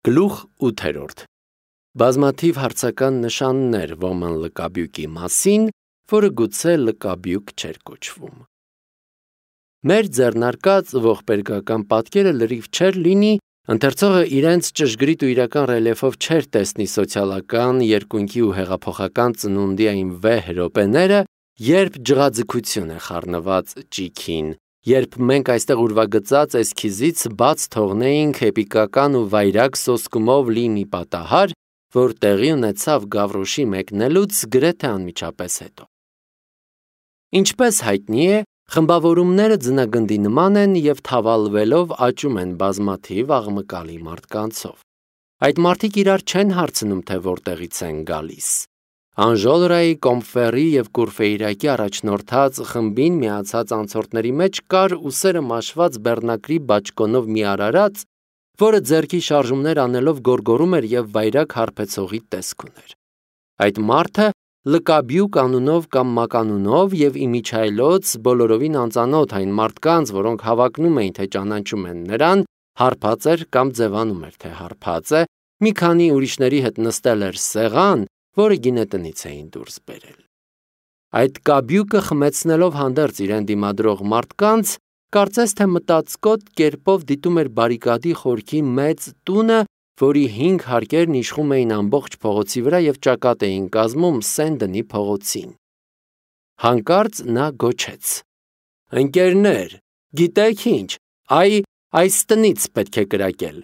Գլուխ 8. Բազմաթիվ հարցական նշաններ ոմն լկաբյուկի մասին, որը գուցե լկաբյուկ չէր կոչվում։ Մեր ձեռնարկած ողբերգական պատկերը լրիվ չէր լինի, ընթերցողը իրենց ճշգրիտ ու իրական ռելիեֆով չէր տեսնի սոցիալական, երկունքի ու հեղափոխական ծնունդի այն վեհ րոպեները, երբ ջղաձգություն է խառնված ճիգին, երբ մենք այստեղ ուրվագծած էսքիզից բաց թողնեինք էպիկական ու վայրագ սոսկումով լի մի պատահար, որ տեղի ունեցավ Գավրոշի մեկնելուց գրեթե անմիջապես հետո։ Ինչպես հայտնի է, խմբավորումները ձնագնդի նման են և թավալվելով աճում են բազմաթիվ աղմկալի մարդկանցով։ Այդ մարդիկ իրար չեն հարցնում, թե որտեղից են գալիս։ Անժոլրայի, Կոմֆերի և Կուրֆեյրակի առաջնորդած խմբին միացած անցորդների մեջ կար ուսերը մաշված բեռնակրի բաճկոնով մի արարած, որը ձեռքի շարժումներ անելով գոռգոռում էր և վայրագ հարբեցողի տեսք ուներ։ Այդ մարդը լկաբյուկ անունով կամ մականունով և իմիջիայլոց բոլորովին անծանոթ այն մարդկանց, որոնք հավակնում էին, թե ճանաչում են նրան, հարբած էր կամ ձևանում էր, թե հարբած է, մի քանի ուրիշների հետ նստել էր սեղան, որը գինետնից էին դուրս բերել։ Այդ կաբյուկը խմեցնելով հանդերձ իրեն դիմադրող մարդկանց, կարծես թե մտածկոտ կերպով դիտում էր բարիկադի խորքի մեծ տունը, որի 5 հարկերն իշխում էին ամբողջ փողոցի վրա և ճակատ էին կազմում Սեն-Դնի փողոցին։ Հանկարծ նա գոչեց. «Ընկերներ, գիտեք ինչ, այս տնից պետք է կրակել։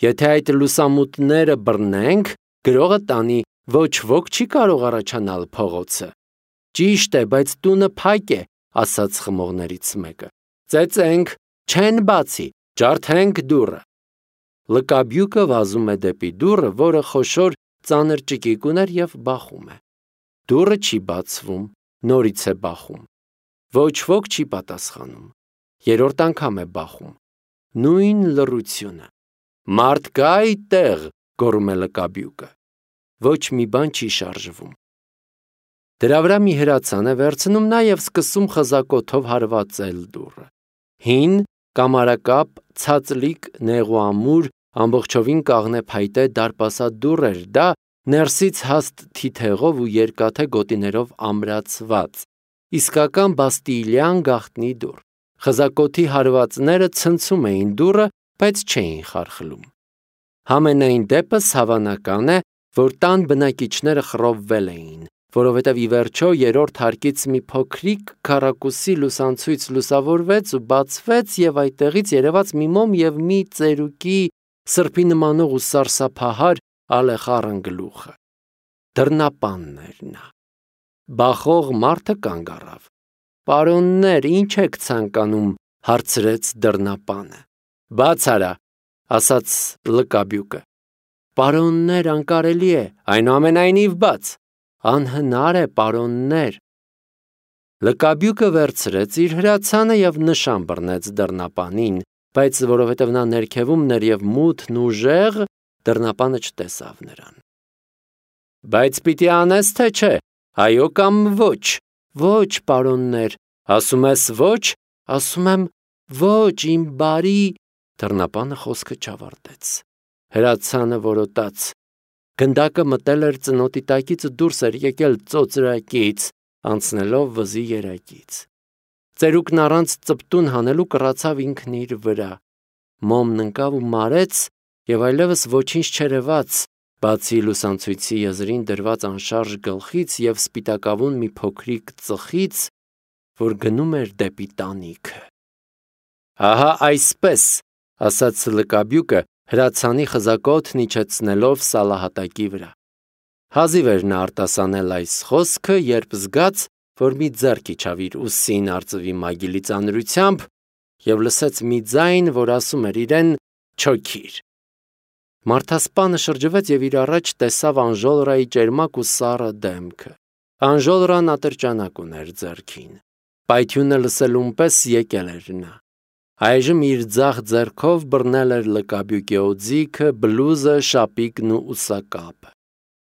Եթե այդ լուսամուտները բռնենք, գրողը տանի, ոչ ոք չի կարող առաջանալ փողոցը»։ «Ճիշտ է, բայց տունը փակ է», ասաց խմողներից մեկը։ «Ծեծենք, չեն բացի, ջարդենք դուռը»։ Լկաբյուկը վազում է դեպի դուռը, որը խոշոր ծանր ճկիկ ուներ և բախում է։ Դուռը չի բացվում, նորից է բախում։ Ոչ ոք չի պատասխանում։ Երրորդ անգամ է բախում։ Նույն լռությունը։ «Մարդ կա այդտեղ», գոռում է լկաբյուկը։ Ոչ մի բան չի շարժվում։ Դրա վրա մի հրացան է վերցնում նա և սկսում խզակոթով հարվածել դուռը։ Հին, կամարակապ, ցածլիկ, նեղուամուր, ամբողջովին կաղնե փայտե դարպասած դուռ էր դա, ներսից հաստ թիթեղով ու երկաթե գոտիներով ամրացված, իսկական բաստիլյան գաղտնի դուռ։ Խզակոթի հարվածները ցնցում էին դուռը, բայց չէին խարխլում։ Համենայն դեպս հավանական է, որ տան բնակիչները խռովվել էին, որովհետև ի վերջո երրորդ հարկից մի փոքրիկ քառակուսի լուսանցույց լուսավորվեց ու բացվեց և այդտեղից երևաց մի մոմ և մի ծերուկի սրբի նմանող ու սարսափահար ալեխառն գլուխը։ Դռնապանն էր նա։ Բախող մարդը կանգ առավ։ «Պարոններ, ինչ եք ցանկանում», հարցրեց դռնապանը։ «Բաց արա», ասաց լկաբյուկը։ «Պարոններ, անկարելի է, այնուամենայնիվ բաց»։ «Անհնար է, պարոններ»։ Լկաբյուկը վերցրեց իր հրացանը և նշան բռնեց դռնապանին, բայց որովհետև նա ներքևումն էր և մութն ուժեղ, դռնապանը չտեսավ նրան։ «Բայց պիտի անես, թե չէ, այո կամ ոչ»։ «Ոչ, պարոններ»։ «Ասում ես ոչ»։ «Ասում եմ ոչ, իմ բարի…» Դռնապանը խոսքը չավարտեց։ Հրացանը որոտաց։ Գնդակը մտել էր ծնոտի տակից ու դուրս էր եկել ծոծրակից, անցնելով վզի երակից։ Ծերուկն առանց ծպտուն հանելու կռացավ ինքն իր վրա։ Մոմն ընկավ ու մարեց, և այլևս ոչինչ չերևաց, բացի լուսանցույցի եզրին դրված անշարժ գլխից և սպիտակավուն մի փոքրիկ ծխից, որ գնում էր դեպի տանիքը։ «Ահա այսպես», ասաց լկաբյուկը, հրացանի խզակոթն իջեցնելով սալահատակի վրա։ Հազիվ էր նա արտասանել այս խոսքը, երբ զգաց, որ մի ձեռք իջավ իր ուսին արծվի մագիլի ծանրությամբ և լսեց մի ձայն, որ ասում էր իրեն. «Չոքիր»։ Մարդասպանը շրջվեց և իր առաջ տեսավ Անժոլրայի ճերմակ ու սառը դեմքը։ Անժոլրան ատրճանակ ուներ ձեռքին։ Պայթյունը լսելուն պես եկել էր նա։ Այժմ իր ձախ ձեռքով բռնել էր լկաբյուկի օձիքը, բլուզը, շապիկն ու ուսակապը։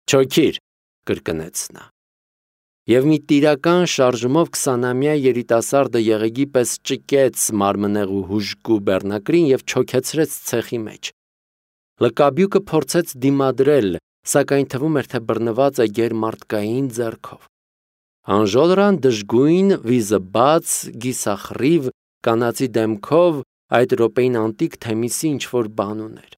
«Չոքիր», կրկնեց նա։ Եվ մի տիրական շարժումով 20-ամյա երիտասարդը եղեգի պես ճկեց մարմնեղու հուժկու բեռնակրին և չոքեցրեց ցեխի մեջ։ Լկաբյուկը փորձեց դիմադրել, սակայն թվում էր, թե բռնված է գերմարտկային ձեռքով։ Անժոլրան դժգույն, վիզը բաց, գիսախռիվ, կանացի դեմքով այդ րոպեին անտիկ Թեմիսի ինչ-որ բան ուներ։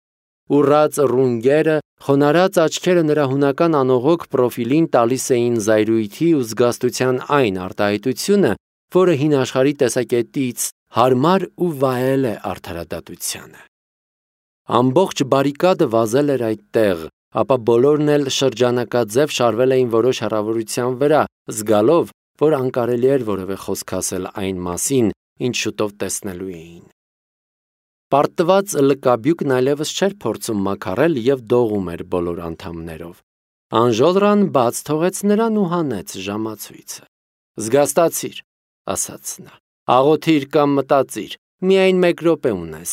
Ուռած ռունգերը, խոնարհած աչքերը նրա հունական անողոք պրոֆիլին տալիս էին զայրույթի ու զգաստության այն արտահայտությունը, որը հին աշխարհի տեսակետից հարմար ու վայել է արդարադատությանը։ Ամբողջ բարիկադը վազել էր այդտեղ, ապա բոլորն էլ շրջանակաձև շարվել էին որոշ հեռավորության վրա, զգալով, որ անկարելի էր որևէ խոսք ասել այն մասին, ինչ շուտով տեսնելու էին։ Պարտված լկաբյուկն այլևս չէր փորձում մաքարել և դողում էր բոլոր անդամներով։ Անժոլրան բաց թողեց նրան ու հանեց ժամացույցը։ «Զգաստացիր», ասաց նա, «աղոթիր կամ մտածիր, միայն 1 րոպե ունես»։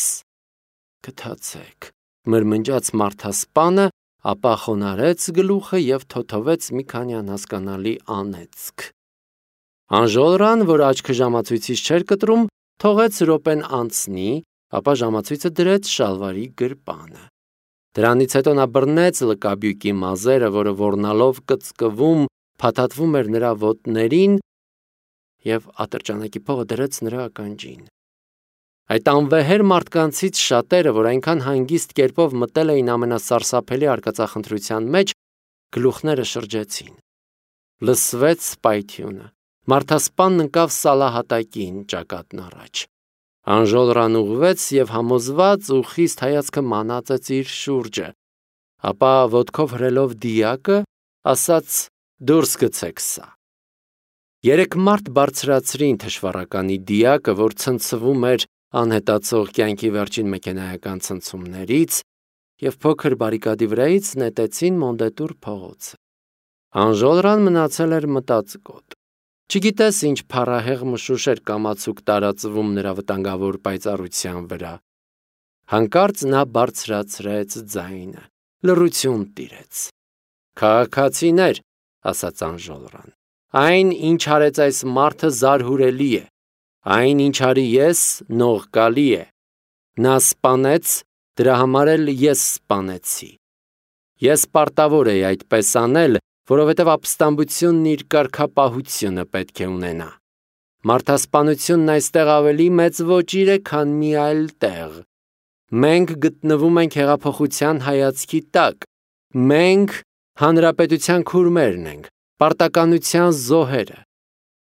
«Գթացեք», մրմնջաց մարդասպանը, ապա խոնարհեց գլուխը և թոթվեց մի քանի անհասկանալի անեծք։ Անժոլրան, որ աչքը ժամացույցից չէր կտրում, թողեց րոպեն անցնի, ապա ժամացույցը դրեց շալվարի գրպանը։ Դրանից հետո նա բռնեց լկաբյուկի մազերը, որը ոռնալով կծկվում, փաթաթվում էր նրա ոտներին և ատրճանակի փողը դրեց նրա ականջին։ Այդ անվեհեր մարդկանցից շատերը, որ այնքան հանգիստ կերպով մտել էին ամենասարսափելի արկածախնդրության մեջ, գլուխները շրջեցին։ Լսվեց պայթյունը։ Մարդասպանն ընկավ սալահատակին ճակատն առաջ։ Անժոլրան ուղղվեց և համոզված ու խիստ հայացքը մանածեց իր շուրջը, ապա ոտքով հրելով դիակը, ասաց. «Դուրս գցեք սա»։ 3 մարդ բարձրացրին թշվառականի դիակը, որ ցնցվում էր անհետացող կյանքի վերջին մեքենայական ցնցումներից, և փոքր բարիկադի վրայից նետեցին Մոնդետուր փողոցը։ Անժոլրան մնացել էր մտածկոտ։ Չգիտես ինչ փառահեղ մշուշ էր կամացուկ տարածվում նրա վտանգավոր պայծառության վրա։ Հանկարծ նա բարձրացրեց ձայնը։ Լռություն տիրեց։ «Քաղաքացիներ», ասաց Անժոլրան, «այն, ինչ արեց այս մարդը, զարհուրելի է։ Այն, ինչ արի ես, նողկալի է։ Նա սպանեց, դրա համար էլ ես սպանեցի։ Ես պարտավոր էի այդպես անել, որովհետև ապստամբությունն իր կարգապահությունը պետք է ունենա։ Մարդասպանությունն այստեղ ավելի մեծ ոճիր է, քան մի այլ տեղ։ Մենք գտնվում ենք հեղափոխության հայացքի տակ։ Մենք հանրապետության քուրմերն ենք, պարտականության զոհերը։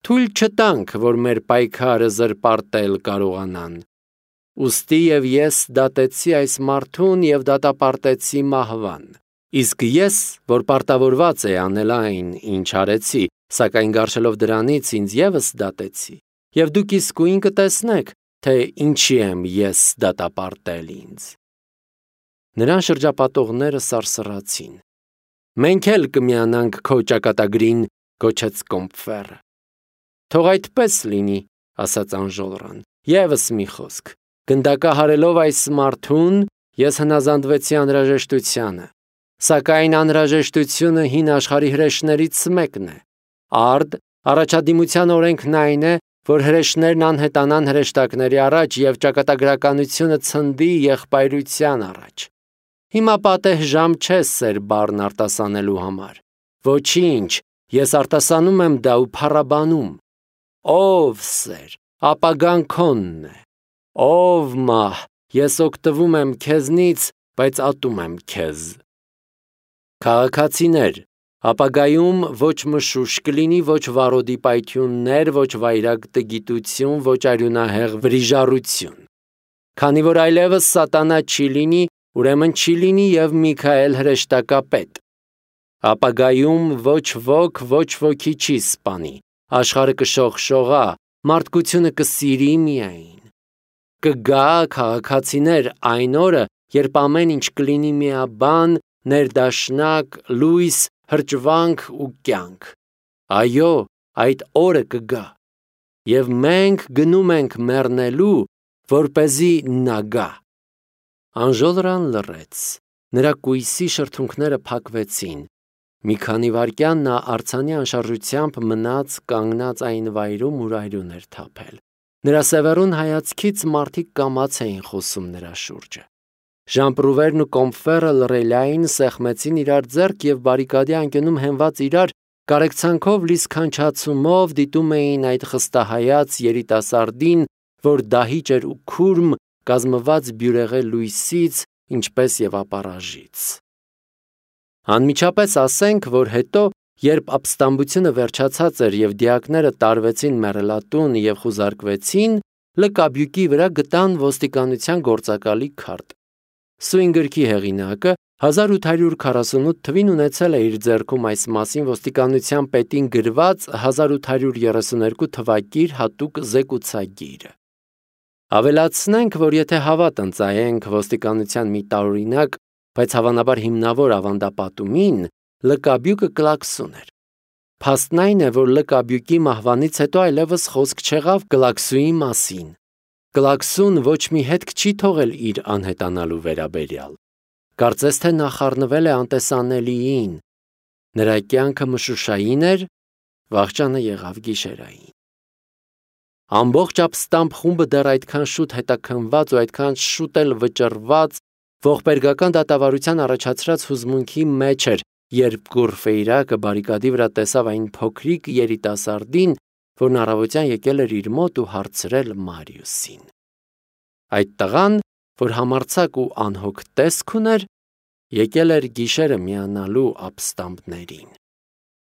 Թույլ չտանք, որ մեր պայքարը զրպարտել կարողանան։ Ուստի և ես դատեցի այս մարդուն և դատապարտեցի մահվան։ Իսկ ես, որ պարտավորված էի անել այն, ինչ արեցի, սակայն գարշելով դրանից ինձ ևս դատեցի, և դուք իսկույն կտեսնեք, թե ինչի եմ ես դատապարտել ինձ։ Նրան շրջապատողները սարսռացին։ «Մենք էլ կմիանանք քո ճակատագրին», գոչեց Կոմփֆերը։ «Թող այդպես լինի», ասաց Անժոլրան։ «Եվս մի խոսք. գնդակահարելով այս մարդուն, ես հնազանդվեցի անհրաժեշտությանը։ Սակայն անհրաժեշտությունը հին աշխարհի հրեշներից մեկն է։ Արդ առաջադիմության օրենքն այն է, որ հրեշներն անհետանան հրեշտակների առաջ և ճակատագրականությունը ցնդի եղբայրության առաջ։ Հիմա պատեհ ժամ չէ սեր բառն արտասանելու համար։ Ոչինչ, ես արտասանում եմ դա ու փառաբանում։ Ով սեր, ապագան քոնն է։ Ով մահ, ես օգտվում եմ քեզնից, բայց ատում եմ քեզ։ Քաղաքացիներ, ապագայում ոչ մշուշ կլինի, ոչ վարոդի պայթյուններ, ոչ վայրագ տգիտություն, ոչ արյունահեղ վրիժառություն։ Քանի որ այլևս սատանա չի լինի, ուրեմն չի լինի և Միքայել հրեշտակապետ։ Ապագայում ոչ ոք ոչ ոքի չի սպանի, աշխարհը կշողշողա, մարդկությունը կսիրի միայն։ Կգա, քաղաքացիներ, այն օրը, երբ ամեն ինչ կլինի միաբան, ներդաշնակ, լույս, հրճվանք ու կյանք։ Այո, այդ օրը կգա։ Եվ մենք գնում ենք մեռնելու, որպեսզի նա գա։ Անժոլրան լռեց։ Նրա կույսի շրթունքները փակվեցին։ Մի քանի վայրկյան նա արձանի անշարժությամբ մնաց կանգնած այն վայրում, ուր արյուն էր թափել։ Նրա սևեռուն հայացքից մարդիկ կամաց էին խոսում նրա շուրջը։ Ժամպրուվերն ու կոմֆերը լռելային սեղմեցին իրար ձեռք և բարիկադի անկյունում հենված իրար կարեկցանքով լի սքանչացումով դիտում էին այդ խստահայաց երիտասարդին, որ դահիճ էր ու քուրմ, կազմված բյուրեղե լույսից, ինչպես և ապառաժից։ Անմիջապես ասենք, որ հետո, երբ ապստամբությունը վերջացած էր և դիակները տարվեցին մեռելատուն և խուզարկվեցին, լկաբյուկի վրա գտան ոստիկանության գործակալի քարտ։ Սույն գրքի հեղինակը 1848 թվին ունեցել է իր ձեռքում այս մասին ոստիկանության պետին գրված 1832 թվակիր հատուկ զեկուցագիրը։ Ավելացնենք, որ եթե հավատ ընծայենք ոստիկանության մի տարօրինակ, բայց հավանաբար հիմնավոր ավանդապատումին, լկաբյուկը կլաքսուն էր։ Փաստն այն է, որ լկաբյուկի մահվանից հետո այլևս խոսք չեղավ կլաքսուի մասին։ Կլաքսուն ոչ մի հետք չի թողել իր անհետանալու վերաբերյալ։ Կարծես թե նա խառնվել է անտեսանելիին։ Նրա կյանքը մշուշային էր, վախճանը եղավ գիշերային։ Ամբողջ ապստամբ խումբը դեռ այդքան շուտ հետաքննված ու այդքան շուտ էլ վճռված ողբերգական դատավարության առաջացրած հուզմունքի մեջ էր, երբ Կուրֆեյրակը բարիկադի վրա տեսավ այն փոքրիկ երիտասարդին, որն առավոտյան եկել էր իր մոտ ու հարցրել Մարիուսին։ Այդ տղան, որ համարձակ ու անհոգ տեսք ուներ, եկել էր գիշերը միանալու ապստամբներին։